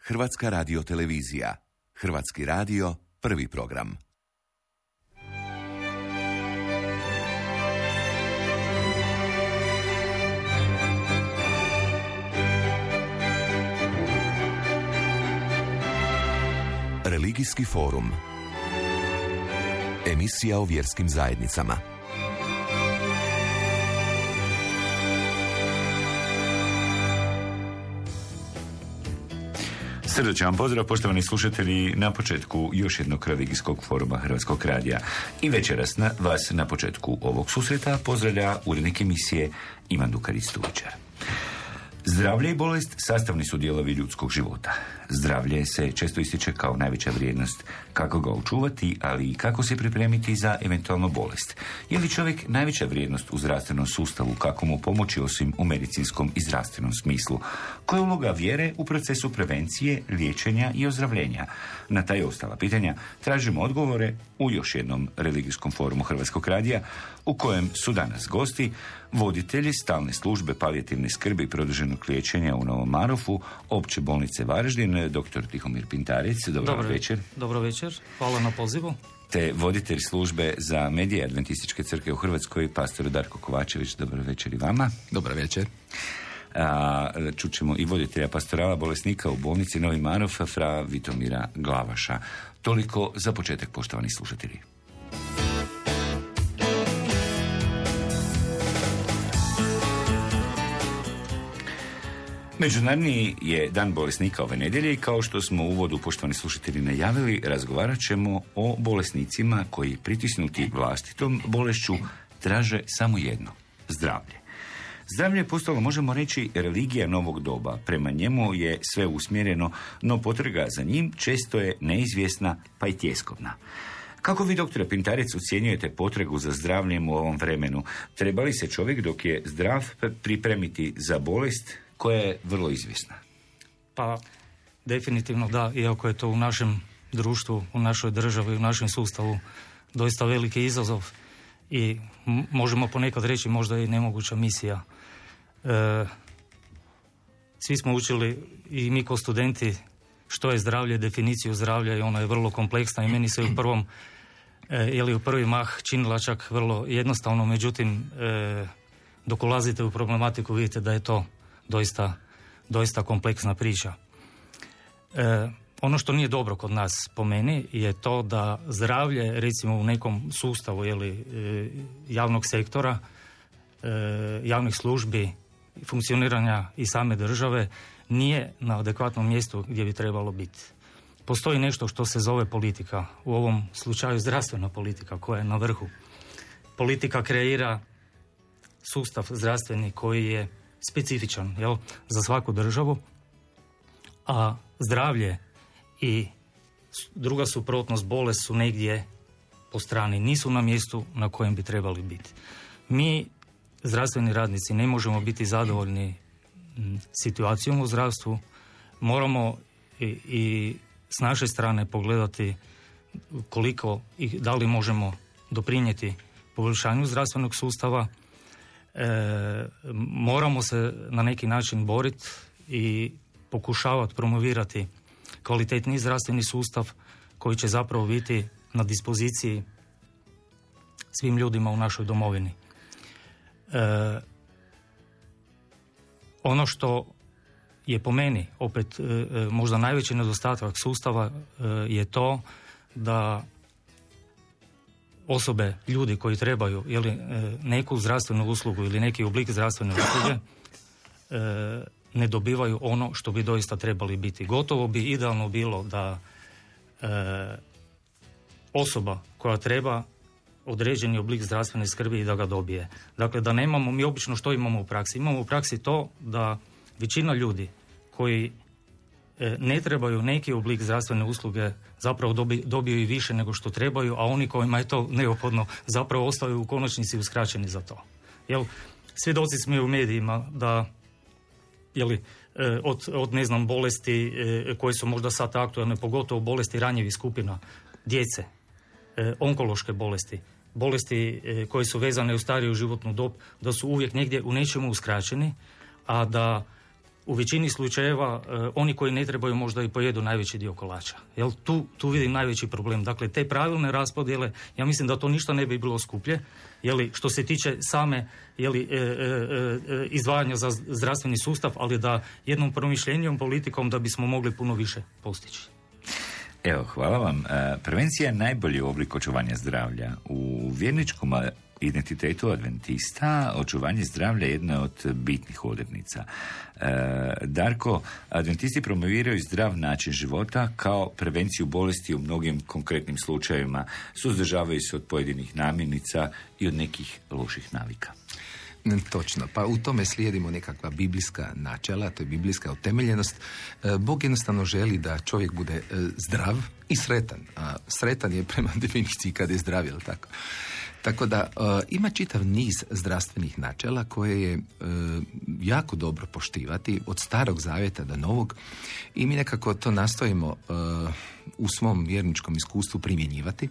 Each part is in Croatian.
Hrvatska radiotelevizija. Hrvatski radio, prvi program. Religijski forum. Emisija o vjerskim zajednicama. Srdačan pozdrav, poštovani slušatelji, na početku još jednog religijskog foruma Hrvatskog radija. I večeras vas na početku ovog susreta pozdravlja urednik emisije Ivan Dukarić-Stubičar. Zdravlje i bolest sastavni su dijelovi ljudskog života. Zdravlje se često ističe kao najveća vrijednost. Kako ga očuvati, ali i kako se pripremiti za eventualnu bolest. Je li čovjek najveća vrijednost u zdravstvenom sustavu, kako mu pomoći osim u medicinskom i zdravstvenom smislu? Koja je uloga vjere u procesu prevencije, liječenja i ozdravljenja? Na ta i ostala pitanja tražimo odgovore u još jednom religijskom forumu Hrvatskog radija, u kojem su danas gosti voditelji stalne službe palijativne skrbi i produženog liječenja u Novom Marofu, Opće bolnice Varaždin, dr. Tihomir Pintarec. Dobar večer. Dobro večer, hvala na pozivu. Te voditelj službe za medije Adventističke crkve u Hrvatskoj, pastor Darko Kovačević. Dobar večer i vama. Dobar večer. Čućemo i voditelja pastorala bolesnika u bolnici Novi Marof, fra Vitomira Glavaša. Toliko za početak, poštovani slušatelji. Međunarodni je dan bolesnika ove nedjelje i kao što smo u uvodu, poštovani slušatelji, najavili, razgovarat ćemo o bolesnicima koji, pritisnuti vlastitom bolešću, traže samo jedno: zdravlje. Zdravlje je postalo, možemo reći, religija novog doba. Prema njemu je sve usmjereno, no potraga za njim često je neizvjesna pa i tjeskobna. Kako vi, doktore Pintarec, ocjenjujete potragu za zdravljem u ovom vremenu? Treba li se čovjek dok je zdrav pripremiti za bolest koja je vrlo izvjesna? Pa, definitivno da, iako je to u našem društvu, u našoj državi, u našem sustavu doista veliki izazov i možemo ponekad reći možda i nemoguća misija. Svi smo učili, i mi kao studenti, što je zdravlje, definiciju zdravlja, i ona je vrlo kompleksna i meni se u prvi mah činila čak vrlo jednostavno, međutim, dok ulazite u problematiku vidite da je to doista kompleksna priča. Ono što nije dobro kod nas, po meni, je to da zdravlje, recimo u nekom sustavu javnog sektora, javnih službi, funkcioniranja i same države, nije na adekvatnom mjestu gdje bi trebalo biti. Postoji nešto što se zove politika, u ovom slučaju zdravstvena politika koja je na vrhu. Politika kreira sustav zdravstveni koji je specifičan, za svaku državu, a zdravlje i druga suprotnost, bolest, su negdje po strani, nisu na mjestu na kojem bi trebali biti. Mi, zdravstveni radnici, ne možemo biti zadovoljni situacijom u zdravstvu. Moramo i s naše strane pogledati koliko i da li možemo doprinijeti poboljšanju zdravstvenog sustava. Moramo se na neki način boriti i pokušavati promovirati kvalitetniji zdravstveni sustav koji će zapravo biti na dispoziciji svim ljudima u našoj domovini. Ono što je po meni opet možda najveći nedostatak sustava je to da osobe, ljudi koji trebaju neku zdravstvenu uslugu ili neki oblik zdravstvene usluge ne dobivaju ono što bi doista trebali biti. Gotovo bi idealno bilo da osoba koja treba određeni oblik zdravstvene skrbi i da ga dobije. Dakle, da nemamo, mi obično što imamo u praksi? Imamo u praksi to da većina ljudi koji ne trebaju neki oblik zdravstvene usluge zapravo dobiju i više nego što trebaju, a oni kojima je to neophodno zapravo ostaju u konačnici uskraćeni za to. Svjedoci smo u medijima da od bolesti koje su možda sad aktualne, pogotovo bolesti ranjivih skupina, djece, onkološke bolesti koje su vezane u stariju životnu dob, da su uvijek negdje u nečemu uskraćeni, a da u većini slučajeva oni koji ne trebaju možda i pojedu najveći dio kolača. Jel, tu vidim najveći problem. Dakle, te pravilne raspodjele, ja mislim da to ništa ne bi bilo skuplje, jeli, što se tiče same izdvajanja za zdravstveni sustav, ali da jednom promišljenjom, politikom da bismo mogli puno više postići. Evo, hvala vam. Prevencija je najbolji oblik očuvanja zdravlja. U vjerničkom identitetu adventista očuvanje zdravlja je jedna od bitnih odrednica. Darko, adventisti promoviraju zdrav način života kao prevenciju bolesti u mnogim konkretnim slučajevima, suzdržavaju se od pojedinih namirnica i od nekih loših navika. Točno, pa u tome slijedimo nekakva biblijska načela, to je biblijska utemeljenost. Bog jednostavno želi da čovjek bude zdrav i sretan, a sretan je prema definiciji kada je zdrav, jel tako? Tako da ima čitav niz zdravstvenih načela koje je jako dobro poštivati od starog zavjeta do novog i mi nekako to nastojimo u svom vjerničkom iskustvu primjenjivati.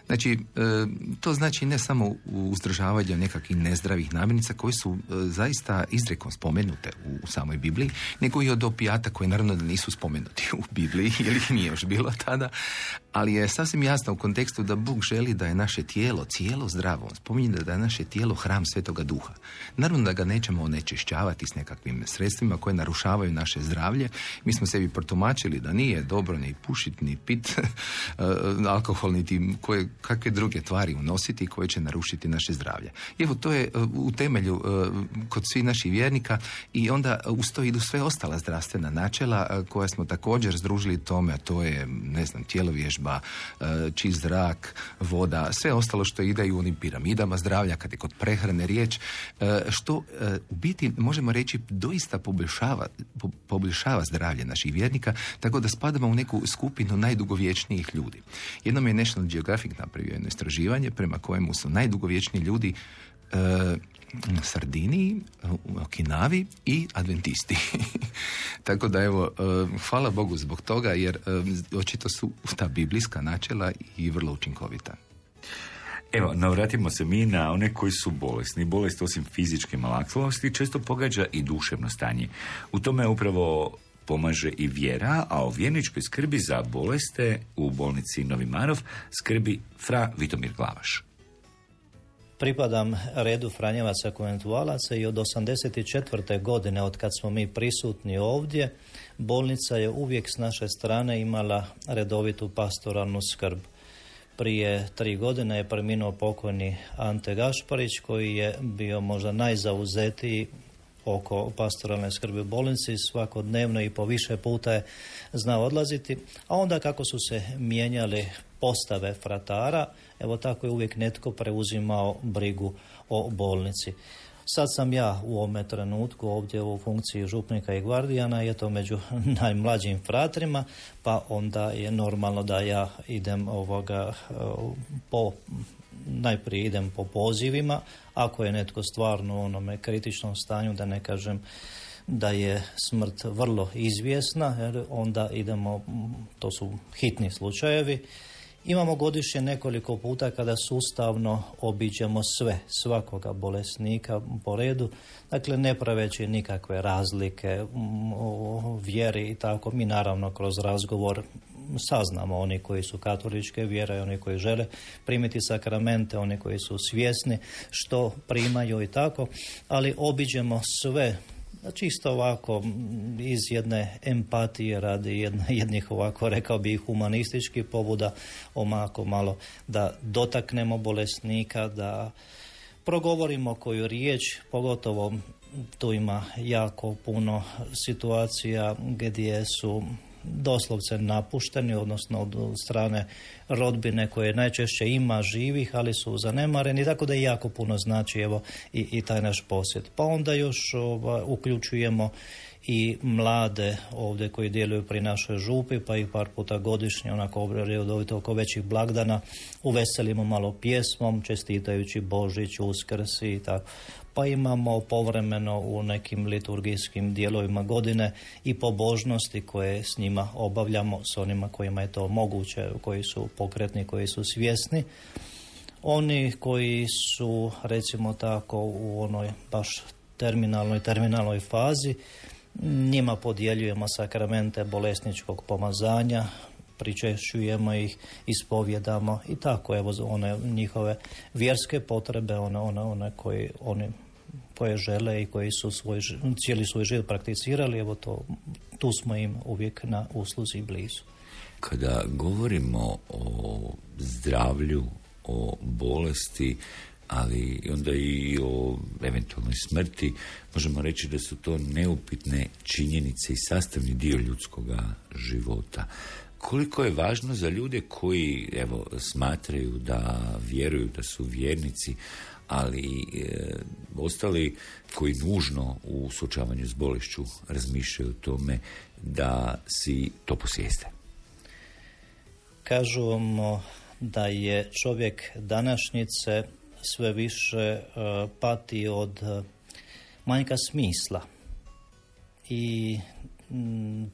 Znači, to znači ne samo uzdržavanje nekakvih nezdravih namirnica koje su zaista izrekom spomenute u samoj Bibliji, nego i od opijata koje naravno da nisu spomenuti u Bibliji, jer ih nije još bilo tada, ali je sasvim jasno u kontekstu da Bog želi da je naše tijelo cijelo zdravo. On spominje da je naše tijelo hram Svetoga Duha. Naravno da ga nećemo onečišćavati s nekakvim sredstvima koje narušavaju naše zdravlje. Mi smo sebi protumačili da nije dobro ni pušiti, ni pit alkohol, niti kakve druge tvari unositi koje će narušiti naše zdravlje. Evo, to je u temelju kod svih naših vjernika i onda uz to idu sve ostala zdravstvena načela koja smo također združili tome, a to je, ne znam, tjelovježba, čist zrak, voda, sve ostalo što ide i u onim piramidama zdravlja, kad je kod prehrane riječ, što u biti, možemo reći, doista poboljšava zdravlje naših vjernika, tako da spadamo u neku skupinu najdugovječnijih ljudi. Jednom je National Geographic napravio jedno istraživanje prema kojemu su najdugovječniji ljudi na Sardiniji, u Okinavi i adventisti. Tako da evo, hvala Bogu zbog toga, jer očito su ta biblijska načela i vrlo učinkovita. Evo, navratimo se mi na one koji su bolesni. Bolest osim fizičke malaklosti često pogađa i duševno stanje. U tome upravo pomaže i vjera, a o vjerničkoj skrbi za boleste u bolnici Novi Marof skrbi fra Vitomir Glavaš. Pripadam redu Franjevaca konventualaca i od 84. godine, od kad smo mi prisutni ovdje, bolnica je uvijek s naše strane imala redovitu pastoralnu skrb. Prije 3 godine je preminuo pokojni Ante Gašparić, koji je bio možda najzauzetiji oko pastoralne skrbi u bolnici, svakodnevno i po više puta je znao odlaziti, a onda kako su se mijenjali postave fratara, evo tako je uvijek netko preuzimao brigu o bolnici. Sad sam ja u ovome trenutku ovdje u funkciji župnika i gvardijana, je to među najmlađim fratrima, pa onda je normalno da ja idem najprije idem po pozivima, ako je netko stvarno u onome kritičnom stanju, da ne kažem da je smrt vrlo izvjesna, jer onda idemo, to su hitni slučajevi. Imamo godišnje nekoliko puta kada sustavno obiđemo svakoga bolesnika po redu, dakle ne praveći nikakve razlike o vjeri i tako. Mi naravno kroz razgovor saznamo oni koji su katoličke vjere, oni koji žele primiti sakramente, oni koji su svjesni što primaju i tako, ali obiđemo sve čisto ovako iz jedne empatije radi jednih ovako, rekao bih, humanističkih pobuda, omako malo da dotaknemo bolesnika, da progovorimo koju riječ, pogotovo tu ima jako puno situacija gdje su doslovce napušteni, odnosno od strane rodbine koje najčešće ima živih, ali su zanemareni, tako da jako puno znači evo i taj naš posjet. Pa onda još uključujemo i mlade ovdje koji djeluju pri našoj župi, pa i par puta godišnje, onako redovito oko većih blagdana, uveselimo malo pjesmom, čestitajući Božić, Uskrs i tako. Pa imamo povremeno u nekim liturgijskim dijelovima godine i pobožnosti koje s njima obavljamo, s onima kojima je to moguće, koji su pokretni, koji su svjesni. Oni koji su, recimo tako, u onoj baš terminalnoj fazi, Njima podjeljujemo sakramente bolesničkog pomazanja, pričešćujemo ih, ispovjedamo i tako, evo, one njihove vjerske potrebe, one koje žele i koji su cijeli svoj život prakticirali, evo tu smo im uvijek na usluzi blizu. Kada govorimo o zdravlju, o bolesti, ali onda i o eventualnoj smrti, možemo reći da su to neupitne činjenice i sastavni dio ljudskoga života. Koliko je važno za ljude koji, evo, smatraju da vjeruju, da su vjernici, ali ostali koji nužno u suočavanju s bolešću razmišljaju o tome da si to posvijeste? Kažemo da je čovjek današnjice sve više pati od manjka smisla i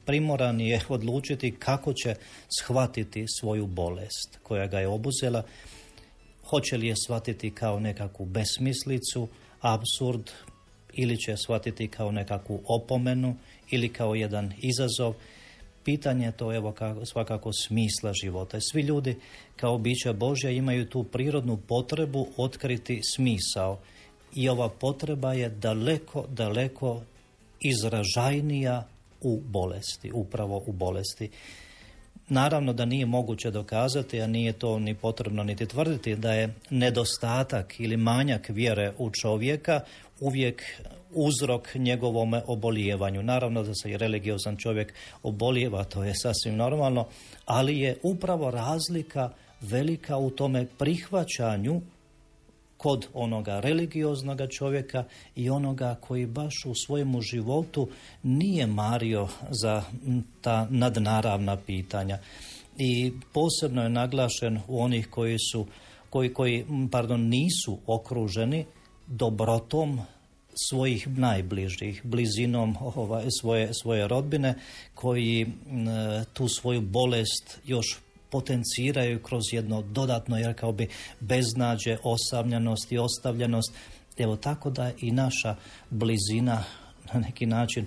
primoran je odlučiti kako će shvatiti svoju bolest koja ga je obuzela. Hoće li je shvatiti kao nekakvu besmislicu, apsurd, ili će shvatiti kao nekakvu opomenu ili kao jedan izazov. Pitanje je to, evo, svakako smisla života. Svi ljudi kao bića Božja imaju tu prirodnu potrebu otkriti smisao. I ova potreba je daleko, daleko izražajnija u bolesti, upravo u bolesti. Naravno da nije moguće dokazati, a nije to ni potrebno niti tvrditi, da je nedostatak ili manjak vjere u čovjeka uvijek uzrok njegovome obolijevanju. Naravno da se i religiozan čovjek obolijeva, to je sasvim normalno, ali je upravo razlika velika u tome prihvaćanju kod onoga religioznoga čovjeka i onoga koji baš u svojemu životu nije mario za ta nadnaravna pitanja. I posebno je naglašen u onih koji nisu okruženi dobrotom svojih najbližih, blizinom svoje rodbine, koji tu svoju bolest još potenciraju kroz jedno dodatno, jer kao bi beznađe, osamljenost i ostavljenost. Evo, tako da i naša blizina na neki način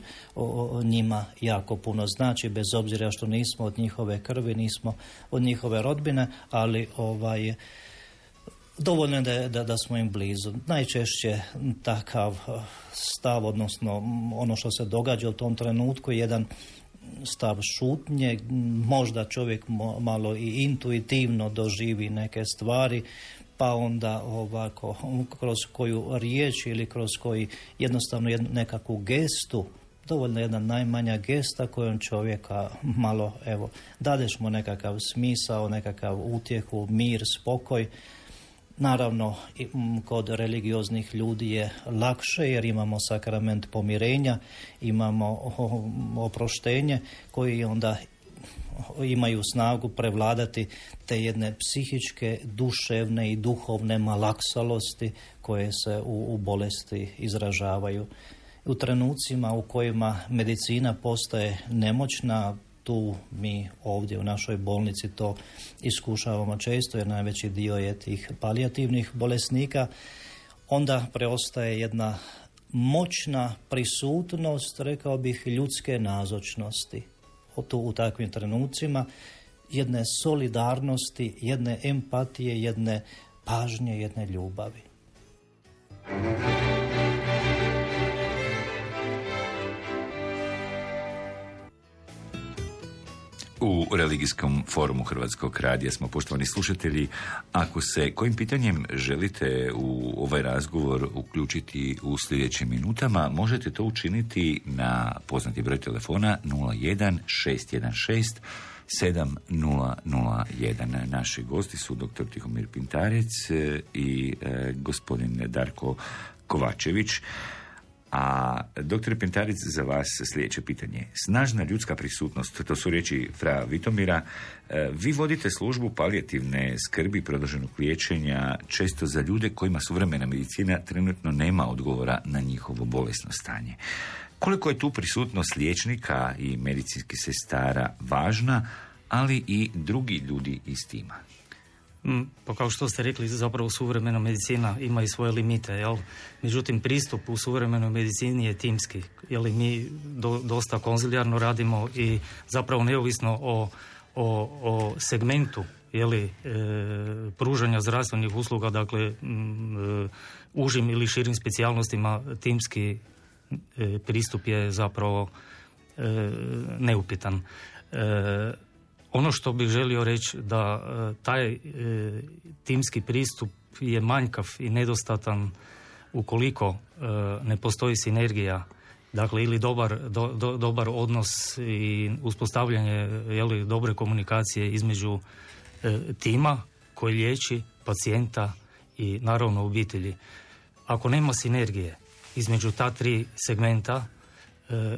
njima jako puno znači, bez obzira što nismo od njihove krvi, nismo od njihove rodbine, ali dovoljno je da smo im blizu. Najčešće takav stav, odnosno ono što se događa u tom trenutku, jedan stav šutnje, možda čovjek malo i intuitivno doživi neke stvari, pa onda ovako kroz koju riječ ili kroz koji jednostavno nekakvu gestu, dovoljno jedna najmanja gesta kojom čovjeka malo, evo, dadeš mu nekakav smisao, nekakav utjehu, mir, spokoj. Naravno, kod religioznih ljudi je lakše jer imamo sakrament pomirenja, imamo oproštenje koji onda imaju snagu prevladati te jedne psihičke, duševne i duhovne malaksalosti koje se u bolesti izražavaju. U trenucima u kojima medicina postaje nemoćna, tu mi ovdje u našoj bolnici to iskušavamo često, jer najveći dio je tih palijativnih bolesnika, onda preostaje jedna moćna prisutnost, rekao bih, ljudske nazočnosti u takvim trenucima, jedne solidarnosti, jedne empatije, jedne pažnje, jedne ljubavi. U religijskom forumu Hrvatskog radija smo, poštovani slušatelji, ako se kojim pitanjem želite u ovaj razgovor uključiti u sljedećim minutama, možete to učiniti na poznati broj telefona 01 616 7001. Naši gosti su dr. Tihomir Pintarec i gospodin Darko Kovačević. A dr. Pintarec, za vas sljedeće pitanje. Snažna ljudska prisutnost, to su riječi fra Vitomira. Vi vodite službu palijativne skrbi, produženog liječenja, često za ljude kojima suvremena medicina trenutno nema odgovora na njihovo bolesno stanje. Koliko je tu prisutnost liječnika i medicinskih sestara važna, ali i drugi ljudi iz tima? Pa kao što ste rekli, zapravo suvremena medicina ima i svoje limite, jel? Međutim, pristup u suvremenoj medicini je timski, jel? Mi dosta konzilijarno radimo i zapravo neovisno o segmentu, jeli, pružanja zdravstvenih usluga, dakle, užim ili širim specijalnostima, timski pristup je zapravo neupitan. Ono što bih želio reći da taj timski pristup je manjkav i nedostatan ukoliko ne postoji sinergija, dakle ili dobar odnos i uspostavljanje dobre komunikacije između tima koji liječi pacijenta i naravno obitelji. Ako nema sinergije između ta tri segmenta,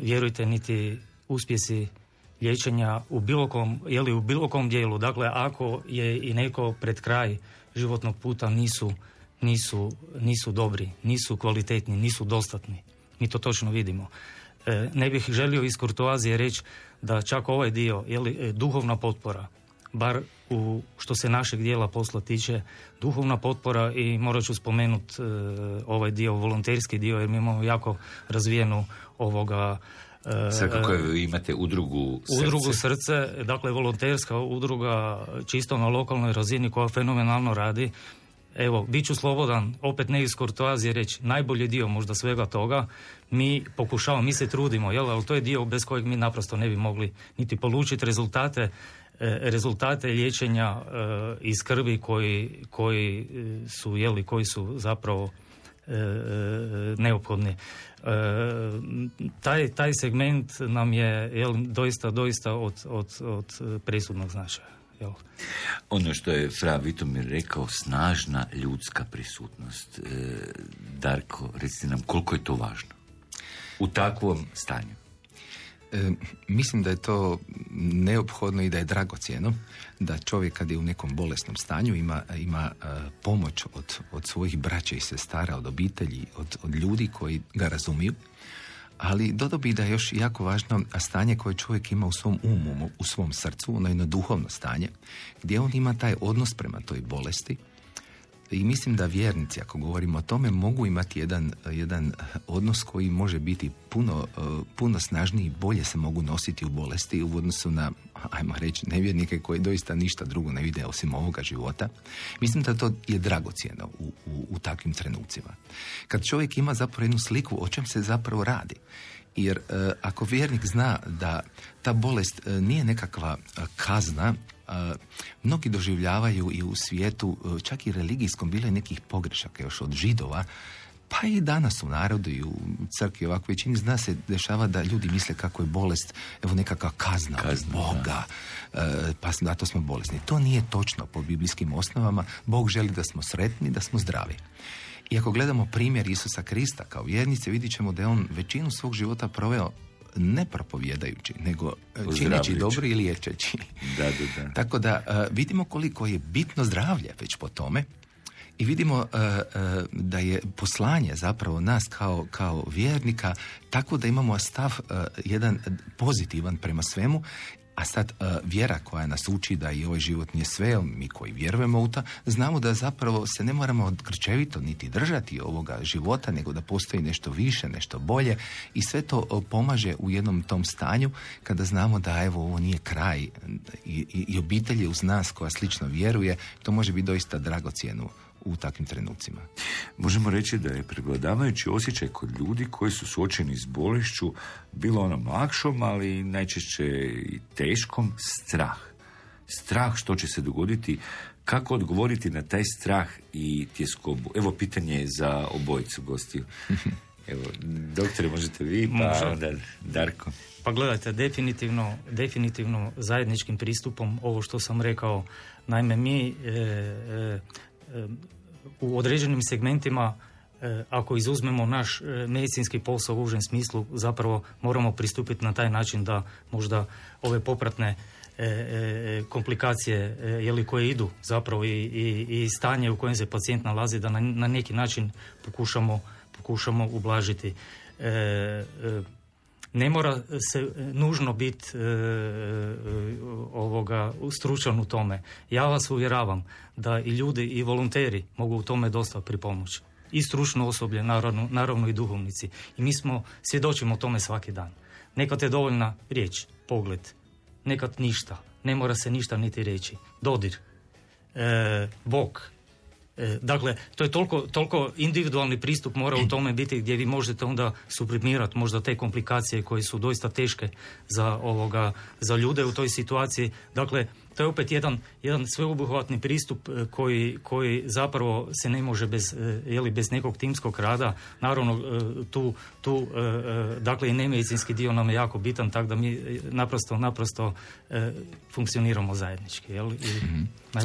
vjerujte, niti uspjesi liječenja u bilo kom dijelu, dakle ako je i neko pred kraj životnog puta, nisu dobri, nisu kvalitetni, nisu dostatni. Mi to točno vidimo. Ne bih želio iz kurtoazije reći da čak ovaj dio, duhovna potpora, bar što se našeg dijela posla tiče, duhovna potpora, i morat ću spomenuti ovaj dio, volonterski dio, jer mi imamo jako razvijenu sad kako imate udrugu Srce, dakle volonterska udruga čisto na lokalnoj razini koja fenomenalno radi. Evo, bit ću slobodan, opet ne iz kurtoazije reći, najbolji dio možda svega toga, mi pokušavamo, mi se trudimo, ali to je dio bez kojeg mi naprosto ne bi mogli niti polučiti rezultate liječenja i skrbi koji su zapravo neophodni. Taj segment nam je doista od presudnog značaja. Ono što je fra Vitomir rekao, snažna ljudska prisutnost. Darko, recite nam koliko je to važno u takvom stanju? Mislim da je to neophodno i da je dragocjeno da čovjek kad je u nekom bolesnom stanju ima pomoć od svojih braća i sestara, od obitelji, od ljudi koji ga razumiju. Ali dodao bih da je još jako važno stanje koje čovjek ima u svom umu, u svom srcu, ono jedno duhovno stanje, gdje on ima taj odnos prema toj bolesti. I mislim da vjernici, ako govorimo o tome, mogu imati jedan odnos koji može biti puno snažniji, bolje se mogu nositi u bolesti u odnosu na, ajmo reći, nevjernike koji doista ništa drugo ne vide osim ovoga života. Mislim da to je dragocjeno u takvim trenucima. Kad čovjek ima zapravo jednu sliku o čem se zapravo radi. Jer ako vjernik zna da ta bolest nije nekakva kazna, mnogi doživljavaju i u svijetu, čak i religijskom, bilo je nekih pogrešaka još od Židova, pa i danas u narodu i u crkvi ovako većini zna se dešava da ljudi misle kako je bolest nekakva kazna od Boga, pa zato smo bolesni. To nije točno po biblijskim osnovama. Bog želi da smo sretni, da smo zdravi. I ako gledamo primjer Isusa Krista kao vjernice, vidit ćemo da je on većinu svog života proveo ne propovjedajući, nego čineći dobro i liječeći. Da. Tako da vidimo koliko je bitno zdravlje već po tome i vidimo da je poslanje zapravo nas kao vjernika tako da imamo stav jedan pozitivan prema svemu. A sad vjera koja nas uči da i ovaj život nije sve, mi koji vjerujemo u to, znamo da zapravo se ne moramo grčevito niti držati ovoga života, nego da postoji nešto više, nešto bolje i sve to pomaže u jednom tom stanju kada znamo da evo ovo nije kraj i obitelj je uz nas koja slično vjeruje, to može biti doista dragocjeno u takvim trenucima. Možemo reći da je prevladavajući osjećaj kod ljudi koji su suočeni s bolešću, bilo onom lakšom, ali najčešće i teškom, strah. Strah što će se dogoditi, kako odgovoriti na taj strah i tjeskobu. Evo pitanje za obojicu gostiju. Evo, doktore, možete vi, pa onda Darko. Pa gledajte, definitivno zajedničkim pristupom, ovo što sam rekao, naime mi u određenim segmentima, ako izuzmemo naš medicinski posao u užem smislu, zapravo moramo pristupiti na taj način da možda ove popratne komplikacije koje idu zapravo i stanje u kojem se pacijent nalazi, da na neki način pokušamo ublažiti. Ne mora se nužno biti stručan u tome. Ja vas uvjeravam da i ljudi i volonteri mogu u tome dosta pripomoći. I stručno osoblje, naravno i duhovnici. I mi svjedočimo tome svaki dan. Nekad je dovoljna riječ, pogled, nekad ništa. Ne mora se ništa niti reći. Dodir, bok. Dakle, to je toliko individualni pristup mora u tome biti gdje vi možete onda sublimirati možda te komplikacije koje su doista teške za ljude u toj situaciji. Dakle, to je opet jedan sveobuhvatni pristup koji zapravo se ne može bez nekog timskog rada. Naravno, tu dakle i nemedicinski dio nam je jako bitan, tako da mi naprosto funkcioniramo zajednički.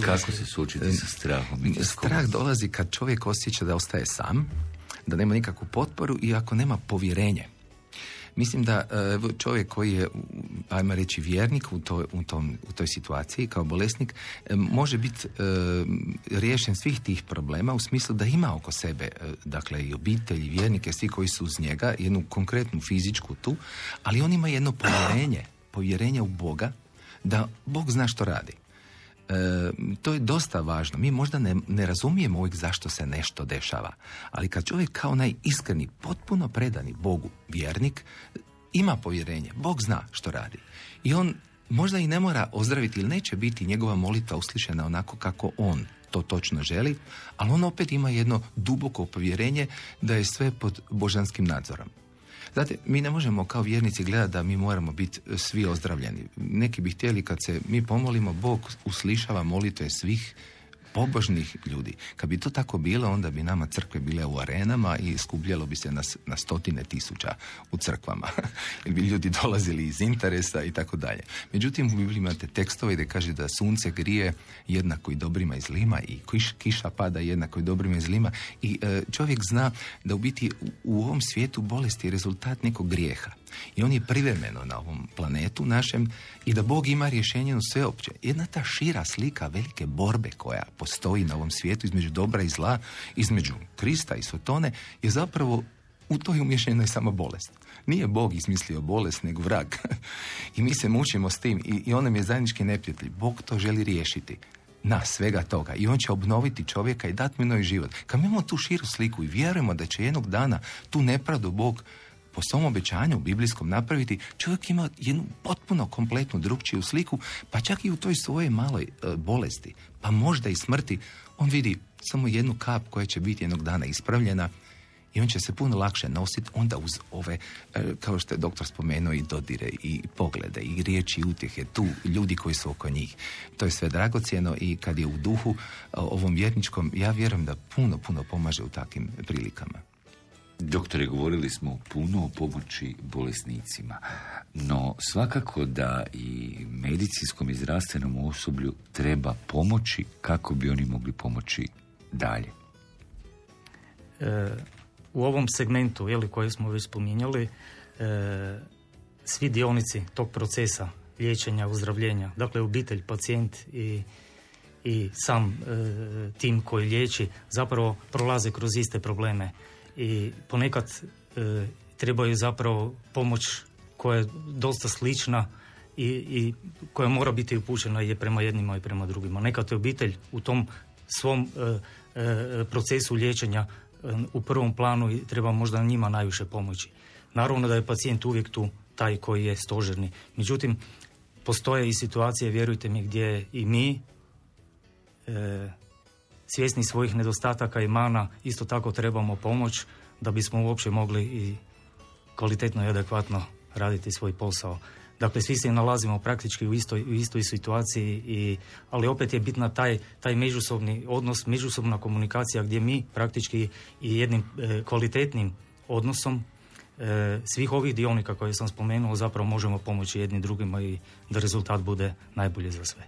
Kako se suočiti sa strahom? Strah dolazi kad čovjek osjeća da ostaje sam, da nema nikakvu potporu i ako nema povjerenje. Mislim da čovjek koji je, ajmo reći, vjernik u toj situaciji kao bolesnik može biti riješen svih tih problema u smislu da ima oko sebe, dakle i obitelj, i vjernike, svi koji su uz njega, jednu konkretnu fizičku tu, ali on ima jedno povjerenje u Boga, da Bog zna što radi. To je dosta važno. Mi možda ne razumijemo uvijek zašto se nešto dešava, ali kad čovjek kao najiskreni, potpuno predani Bogu vjernik, ima povjerenje, Bog zna što radi. I on možda i ne mora ozdraviti ili neće biti njegova molitva uslišena onako kako on to točno želi, ali on opet ima jedno duboko povjerenje da je sve pod božanskim nadzorom. Znate, mi ne možemo kao vjernici gledati da mi moramo biti svi ozdravljeni. Neki bi htjeli kad se mi pomolimo, Bog uslišava molitve svih pobožnih ljudi. Kad bi to tako bilo, onda bi nama crkve bile u arenama i skupljalo bi se na stotine tisuća u crkvama. Jer bi ljudi dolazili iz interesa i tako dalje. Međutim, u Bibliji imate tekstove gdje kaže da sunce grije jednako i dobrima i zlima i kiša pada jednako i dobrima i zlima. I čovjek zna da u biti u ovom svijetu bolest je rezultat nekog grijeha. I on je privremeno na ovom planetu našem i da Bog ima rješenje u sveopće. Jedna ta šira slika velike borbe koja postoji na ovom svijetu između dobra i zla, između Krista i Sotone, je zapravo u toj umješanoj samo bolest. Nije Bog izmislio bolest, nego vrag. I mi se mučimo s tim i on nam je zajednički neprijatelj. Bog to želi riješiti. Na svega toga. I on će obnoviti čovjeka i dati mu novi život. Kad mi imamo tu širu sliku i vjerujemo da će jednog dana tu nepravdu Bog po svom obećanju biblijskom napraviti, čovjek ima jednu potpuno kompletnu drukčiju sliku, pa čak i u toj svojoj maloj bolesti, pa možda i smrti, on vidi samo jednu kap koja će biti jednog dana ispravljena i on će se puno lakše nositi onda uz ove, kao što je doktor spomenuo, i dodire, i poglede, i riječi, i utjehe, tu ljudi koji su oko njih. To je sve dragocjeno i kad je u duhu ovom vjerničkom, ja vjerujem da puno pomaže u takvim prilikama. Doktore, govorili smo puno o pomoći bolesnicima, no svakako da i medicinskom i zdravstvenom osoblju treba pomoći kako bi oni mogli pomoći dalje. U ovom segmentu, koji smo već spominjali, svi dionici tog procesa liječenja, uzdravljenja, dakle obitelj, pacijent i sam tim koji liječi, zapravo prolaze kroz iste probleme. I ponekad trebaju zapravo pomoć koja je dosta slična i koja mora biti upućena i prema jednima i prema drugima. Nekad je obitelj u tom svom procesu liječenja u prvom planu i treba možda njima najviše pomoći. Naravno da je pacijent uvijek tu taj koji je stožerni. Međutim, postoje i situacije, vjerujte mi, gdje i mi svjesni svojih nedostataka i mana isto tako trebamo pomoć da bismo uopće mogli i kvalitetno i adekvatno raditi svoj posao. Dakle, svi se nalazimo praktički u istoj situaciji, ali opet je bitna taj međusobni odnos, međusobna komunikacija gdje mi praktički i jednim kvalitetnim odnosom svih ovih dionika koje sam spomenuo zapravo možemo pomoći jedni drugima i da rezultat bude najbolji za sve.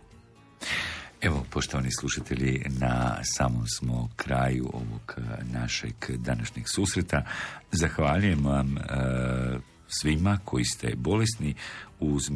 Evo, poštovani slušatelji, na samom smo kraju ovog našeg današnjeg susreta. Zahvaljujem vam svima koji ste bolesni uz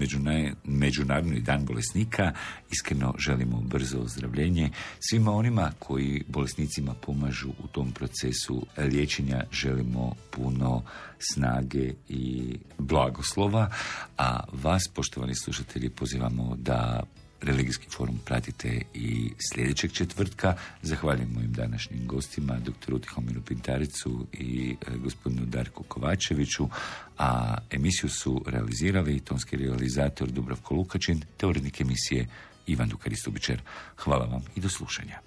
Međunarodni dan bolesnika. Iskreno želimo brzo ozdravljenje. Svima onima koji bolesnicima pomažu u tom procesu liječenja želimo puno snage i blagoslova. A vas, poštovani slušatelji, pozivamo da Religijski forum pratite i sljedećeg četvrtka. Zahvaljujem mojim današnjim gostima, doktoru Tihomiru Pintaricu i gospodinu Darku Kovačeviću, a emisiju su realizirali tonski realizator Dubravko Lukačin te urednik emisije Ivan Dukaristubičer. Hvala vam i do slušanja.